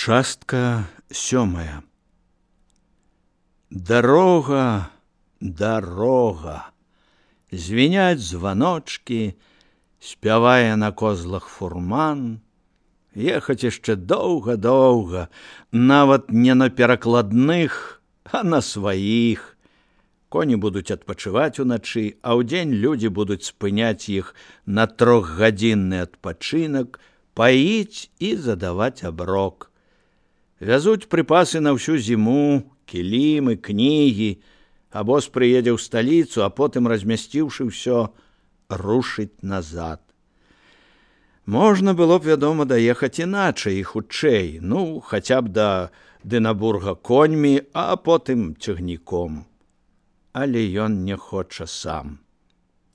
Частка 7. Дарога, дарога, звіняць званочкі, спявае на козлах фурман. Ехаць яшчэ доўга-доўга, нават не на перакладных, а на сваіх. Коні будуць адпачываць уначы, а ўдзень людзі будуць спыняць іх на 3-гадзінны адпачынак, паіць і задаваць аброк. Вязуць прыпасы на ўсю зіму, кілімы, кнігі, абоз прыедзе ў сталіцу, а потым, размясціўшы ўсё, рушыць назад. Можна было б, вядома, даехаць іначай і хутчэй, хаця б да Дынабурга коньмі, а потым цягніком. Але ён не хоча сам.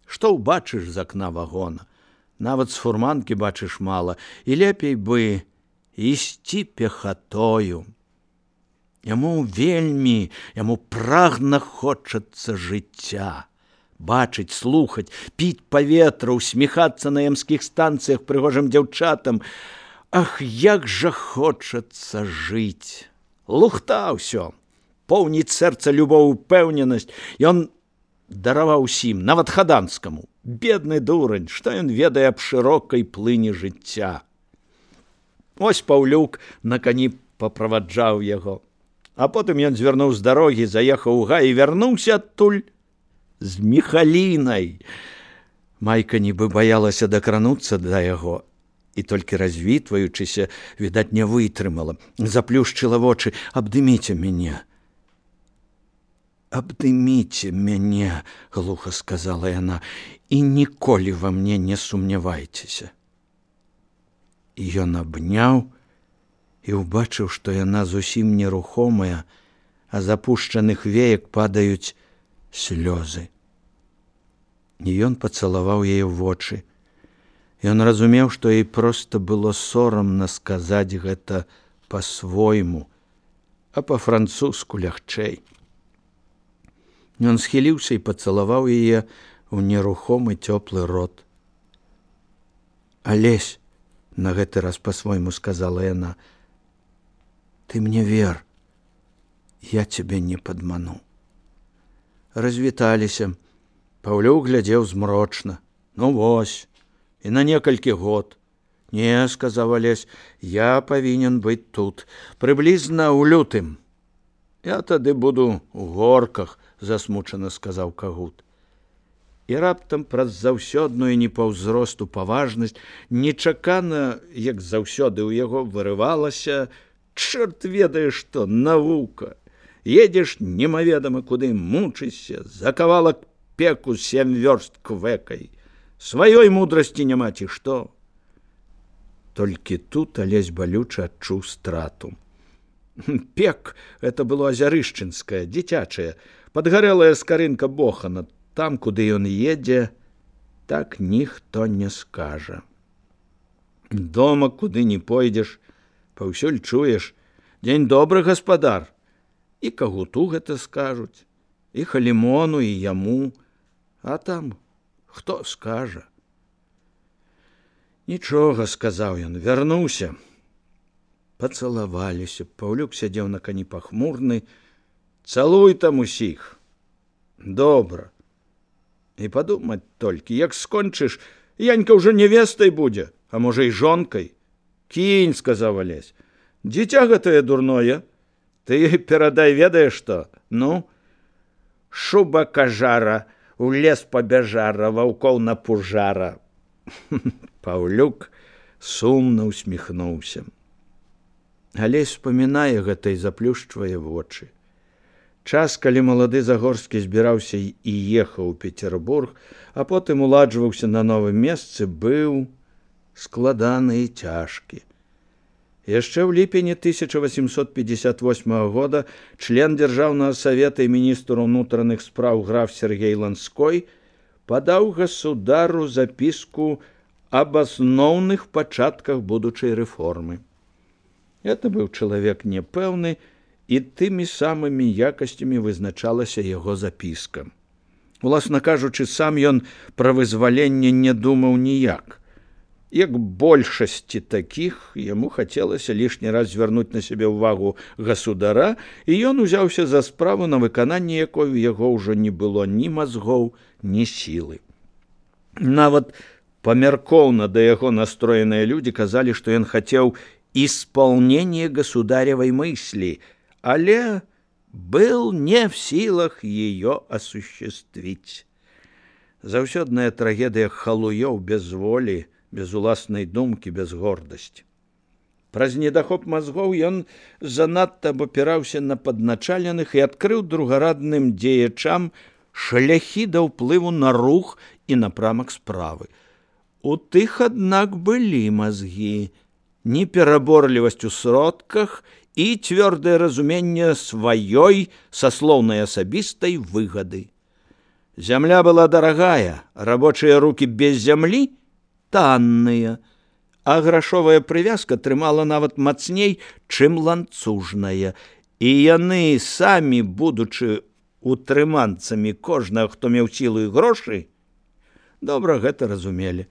Што ўбачыш з акна вагона? Нават з фурманкі бачыш мала, і лепей бы ісці пехатою. Яму прагна хочацца жыцця. Бачыць, слухаць, піць паветра, усміхацца на ямскіх станцыях прыгожым дзяўчатам. Ах, як жа хочацца жыць! Лухта ўсё, поўніць сэрца любоў, упэўненасць. Ён дараваў усім, нават Хаданскаму. Бедны дурань, што ён ведае аб шырокай плыні жыцця. Ось Паўлюк на кані паправаджаў яго. А потым ён звярнуў з дарогі, заехаў у гай і вярнуўся адтуль з Міхалінай. Майка нібы баялася дакрануцца да яго і толькі развітваючыся, відаць, не вытрымала. Заплюшчыла вочы. «Абдыміце мяне». «Абдыміце мяне», – глуха сказала яна, – «і ніколі ва мне не сумнявайцеся». І ён абняў і ўбачыў, што яна зусім нерухомая, а з апушчаных веек падаюць слёзы. І ён пацалаваў яе ў вочы. Ён разумеў, што ёй проста было сорамна сказаць гэта па-свойму, а па-французску лягчэй. Ён схіліўся і пацалаваў яе ў нерухомы цёплы рот. «Алесь», – на гэты раз па-свойму сказала яна, – «ты мне вер, я цябе не падману». Развіталіся. Паўлюк глядзеў змрочна. Вось, і на некалькі год. «Не», – сказаў Алесь, – «я павінен быць тут, прыблізна ў лютым». «Я тады буду ў горках», – засмучана сказаў Кагут. І раптам праз заўсёдную не па ўзросту паважнасць, нечакана, як заўсёды ў яго вырывалася: «Чорт ведае што, навука! Едзеш немаведама куды, мучышся, за кавалак пеку 7 вёрст квэкай. Сваёй мудрасці няма ці што?» Толькі тут Алесь балюча адчуў страту. Пек – гэта было азярышчынскае, дзіцячае, падгарэлая скарынка бохана. Там, куды ён едзе, так ніхто не скажа. Дома, куды не пойдзеш, паўсюль чуеш: «Дзень добры, гаспадар». І Кагуту гэта скажуць, і Халімону, і яму. А там хто скажа? «Нічога», – сказаў ён, вярнуўся. Пацалаваліся. Паўлюк сядзеў на кані пахмурны. «Цалуй там усіх». «Добра». І падумаць толькі, як скончыш, Янька ўжо невестай будзе, а можа і жонкай. «Кінь», – сказаў Алесь, – «дзіця гэтае дурное. Ты перадай, ведаеш што? Шуба кажара, у лес пабяжара, ваўкоў напужара». Паўлюк сумна усміхнуўся. Алесь успамінае гэта і заплюшчвае вочы. Час, калі малады Загорскі збіраўся і ехаў у Петербург, а потым уладжваўся на новым месцы, быў складаны і цяжкі. Яшчэ ў ліпені 1858 года член Дзяржаўнага савета і міністр унутраных спраў граф Сергей Ланской падаў гасудару запіску аб асноўных пачатках будучай рэформы. Гэта быў чалавек непэўны, і тымі самымі якасцямі вызначалася яго запіска. Уласна кажучы, сам ён пра вызваленне не думаў ніяк. Як большасці такіх, яму хацелася лішні раз звярнуць на сябе ўвагу гасудара, і ён узяўся за справу, на выкананне якой у яго ўжо не было ні мазгоў, ні сілы. Нават памяркоўна да яго настроеныя людзі казалі, што ён хацеў исполнение государевой мысли, але был не в силах ее осуществить. Заўсёдная трагедыя халуёў без волі, без уласнай думкі, без гордасці. Праз недахоп мазгоў ён занадта абапіраўся на падначаленых і адкрыў другарадным дзеячам шляхі да ўплыву на рух і напрамак справы. У тых, аднак, былі мазгі, непераборлівасць у сродках і цвёрдае разуменне сваёй саслоўнай асабістай выгады. Зямля была дарагая, рабочыя рукі без зямлі танныя, а грашовая прывязка трымала нават мацней, чым ланцужная, і яны самі, будучы утрыманцамі кожнага, хто меў сілу і грошы, добра гэта разумелі.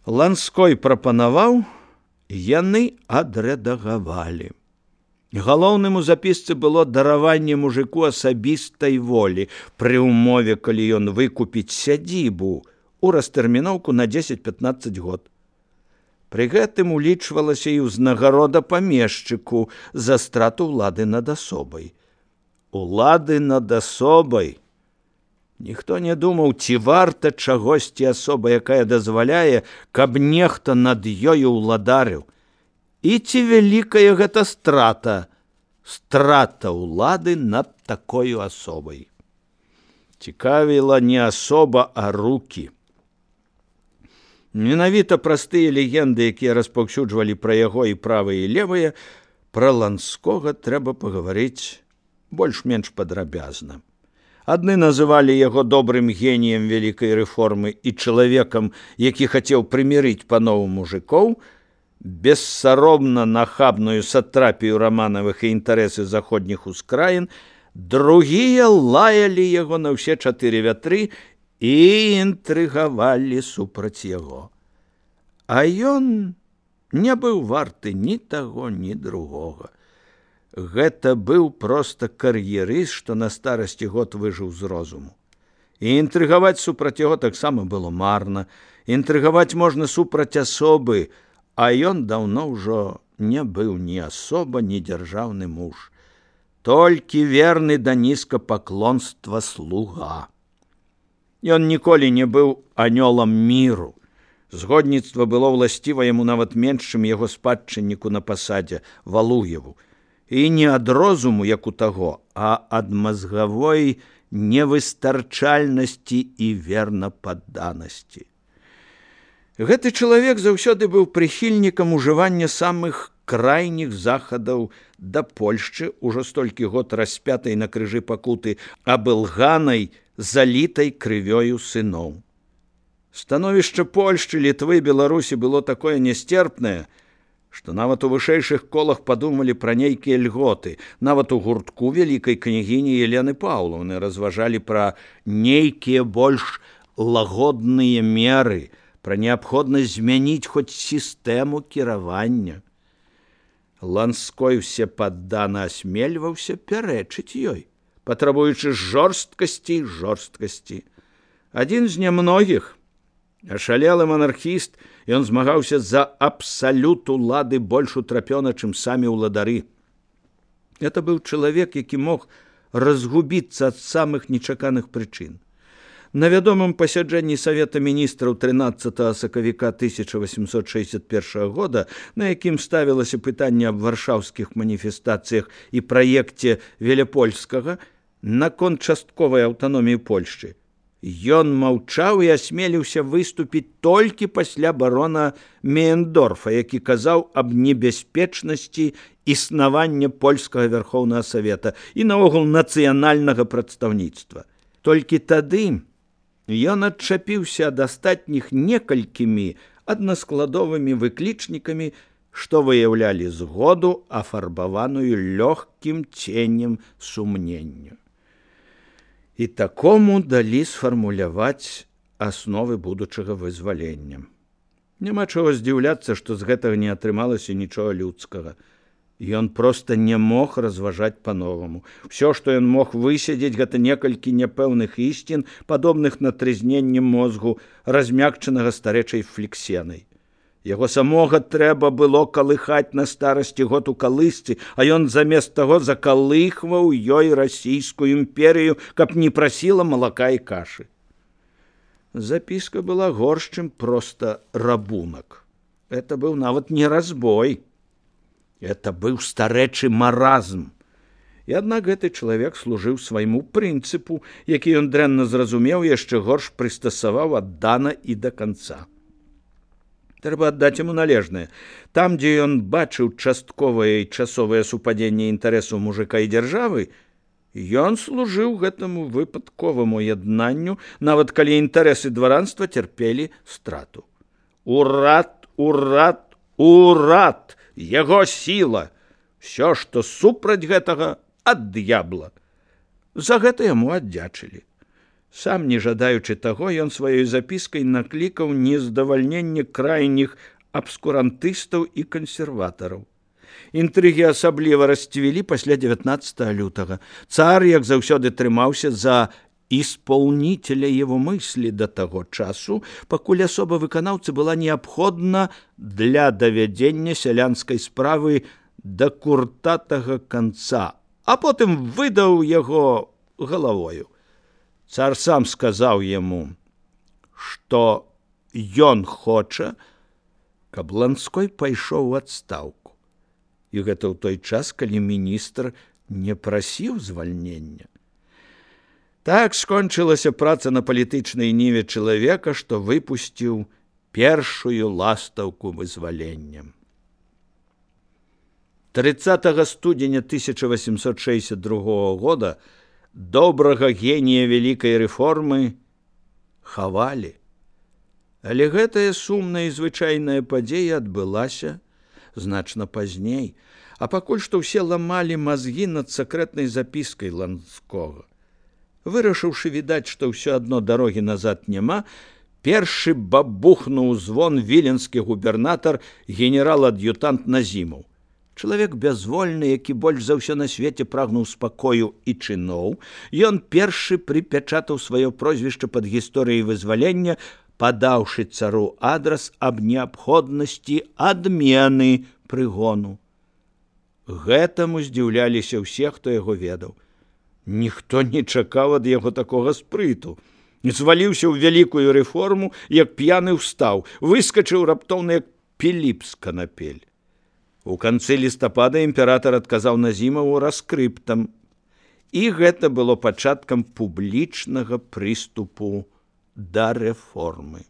Ланской прапанаваў, яны адрэдагавалі. Галоўным у запісцы было дараванне мужику асабістай волі пры ўмове, калі ён выкупіць сядзібу у растэрміноўку на 10-15 год. Пры гэтым улічвалася і ўзнагарода памешчыку за страту ўлады над асобай. Улады над асобай. Ніхто не думаў, ці варта чагосьці асоба, якая дазваляе, каб нехта над ёю ўладарыў. І ці вялікая гэта страта ўлады над такою асобай. Цікавіла не асоба, а рукі. Менавіта простыя легенды, якія распаўсюджвалі пра яго і правыя, і левыя, пра Ланскога трэба пагаварыць больш-менш падрабязна. Адны называлі яго добрым геніем вялікай рэформы і чалавекам, які хацеў прымірыць панову мужикоў, бессаромна нахабную сатрапію раманавых і інтарэсы заходніх ускраін, другія лаялі яго на ўсе 4 вятры і інтрыгавалі супраць яго. А ён не быў варты ні таго, ні другога. Гэта быў проста кар'ерыст, што на старасці год выжыў з розуму. І інтрыгаваць супраць яго таксама было марна. Інтрыгаваць можна супраць асобы, а ён даўно ўжо не быў ні асоба, ні дзяржаўны муж. Толькі верны да нізкапаклонства слуга. Ён ніколі не быў анёлам міру. Згодніцтва было ўласціва яму нават менш, чым яго спадчынніку на пасадзе Валуеву. І не ад розуму, як у таго, а ад мазгавой невыстарчальнасці і вернападданасці. Гэты чалавек заўсёды быў прыхільнікам ужывання самых крайніх захадаў да Польшчы, ужо столькі год распятай на крыжы пакуты, абылганай, залітай крывёю сыноў. Становішча Польшчы, Літвы, Беларусі было такое несцерпнае, што нават у вышэйшых колах падумалі пра нейкія льготы. Нават у гуртку вялікай княгіні Елены Паўлаўны разважалі пра нейкія больш лагодныя меры, пра неабходнасць змяніць хоць сістэму кіравання. Ланской всепаддана асмельваўся пярэчыць ёй, патрабуючы жорсткасці і жорсткасці. Адзін з нямногіх, ашалелы манархіст, ён змагаўся за абсалют улады больш утрапёна, чым самі ўладары. Это быў чалавек, які мог разгубіцца ад самых нечаканых прычын. На вядомым пасяджэнні Савета міністраў 13 сакавіка 1861 года, на якім ставілася пытанне аб варшаўскіх маніфестацыях і праекце Веляпольскага наконт частковай аўтаноміі Польшчы, ён маўчаў і асмеліўся выступіць толькі пасля барона Меендорфа, які казаў аб небяспечнасці існавання польскага Вярхоўнага Савета і наогул нацыянальнага прадстаўніцтва. Толькі тады ён адчапіўся ад астатніх некалькімі аднаскладовымі выклічнікамі, што выяўлялі згоду, афарбаваную лёгкім ценем сумнення. І такому далі сфармуляваць асновы будучага вызвалення. Няма чаго здзіўляцца, што з гэтага не атрымалася нічога людскага. Ён проста не мог разважаць па-новаму. Усё, што ён мог высядзець, гэта некалькі няпэўных ісцін, падобных на трызненне мозгу, размякчанага старэчай флексенай. Яго самога трэба было калыхаць на старасці год у калысцы, а ён замест таго закалыхваў ёй расійскую імперію, каб не прасіла малака і кашы. Запіска была горш, чым проста рабунак. Это быў нават не разбой. Это быў старэчы маразм. І аднак гэты чалавек служыў свайму прынцыпу, які ён дрэнна зразумеў, яшчэ горш прыстасаваў аддана і да канца. Трэба аддаць яму належнае. Там, дзе ён бачыў частковае і часовае супадзенне інтарэсу мужика і дзяржавы, ён служыў гэтаму выпадковаму яднанню, нават калі інтарэсы дваранства цярпелі страту. Урад, урад, урад! Яго сіла! Всё, што супраць гэтага, ад д'ябла. За гэта яму аддзячылі. Сам, не жадаючы таго, ён сваёй запіскай наклікаў нездавальненне крайніх абскурантыстаў і кансерватараў. Інтрыгі асабліва расцвілі пасля 19 лютага. Цар, як заўсёды, трымаўся за исполнителя его мысли до таго часу, пакуль асоба выканаўцы была неабходна для давядзення сялянскай справы да куртатага канца, а потым выдаў яго галавою. Цар сам сказаў яму, што ён хоча, каб Ланской пайшоў у адстаўку. І гэта ў той час, калі міністр не прасіў звальнення. Так скончылася праца на палітычнай ніве чалавека, што выпусціў першую ластаўку вызвалення. 30 студзеня 1862 года добрага генія вялікай рэформы хавалі. Але гэтая сумная і звычайная падзея адбылася значна пазней, а пакуль што ўсе ламалі мазгі над сакрэтнай запіскай Ланскога. Вырашыўшы, відаць, што ўсё адно дарогі назад няма, першы бабухнуў звон віленскі губернатар генерал-ад'ютант Назімаў. Чалавек бязвольны, які больш за ўсё на свеце прагнуў спакою і чыноў, ён першы прыпячатаў сваё прозвішча пад гісторыяй вызвалення, падаўшы цару адрас аб неабходнасці адмены прыгону. Гэтаму здзіўляліся ўсе, хто яго ведаў. Ніхто не чакаў ад яго такога спрыту. Зваліўся ў вялікую рэформу, як п'яны ўстаў, выскачыў раптоўна, як Піліп з канапель. У канцы лістапада імператар адказаў Назімаву раскрыптам, і гэта было пачаткам публічнага прыступу да рэформы.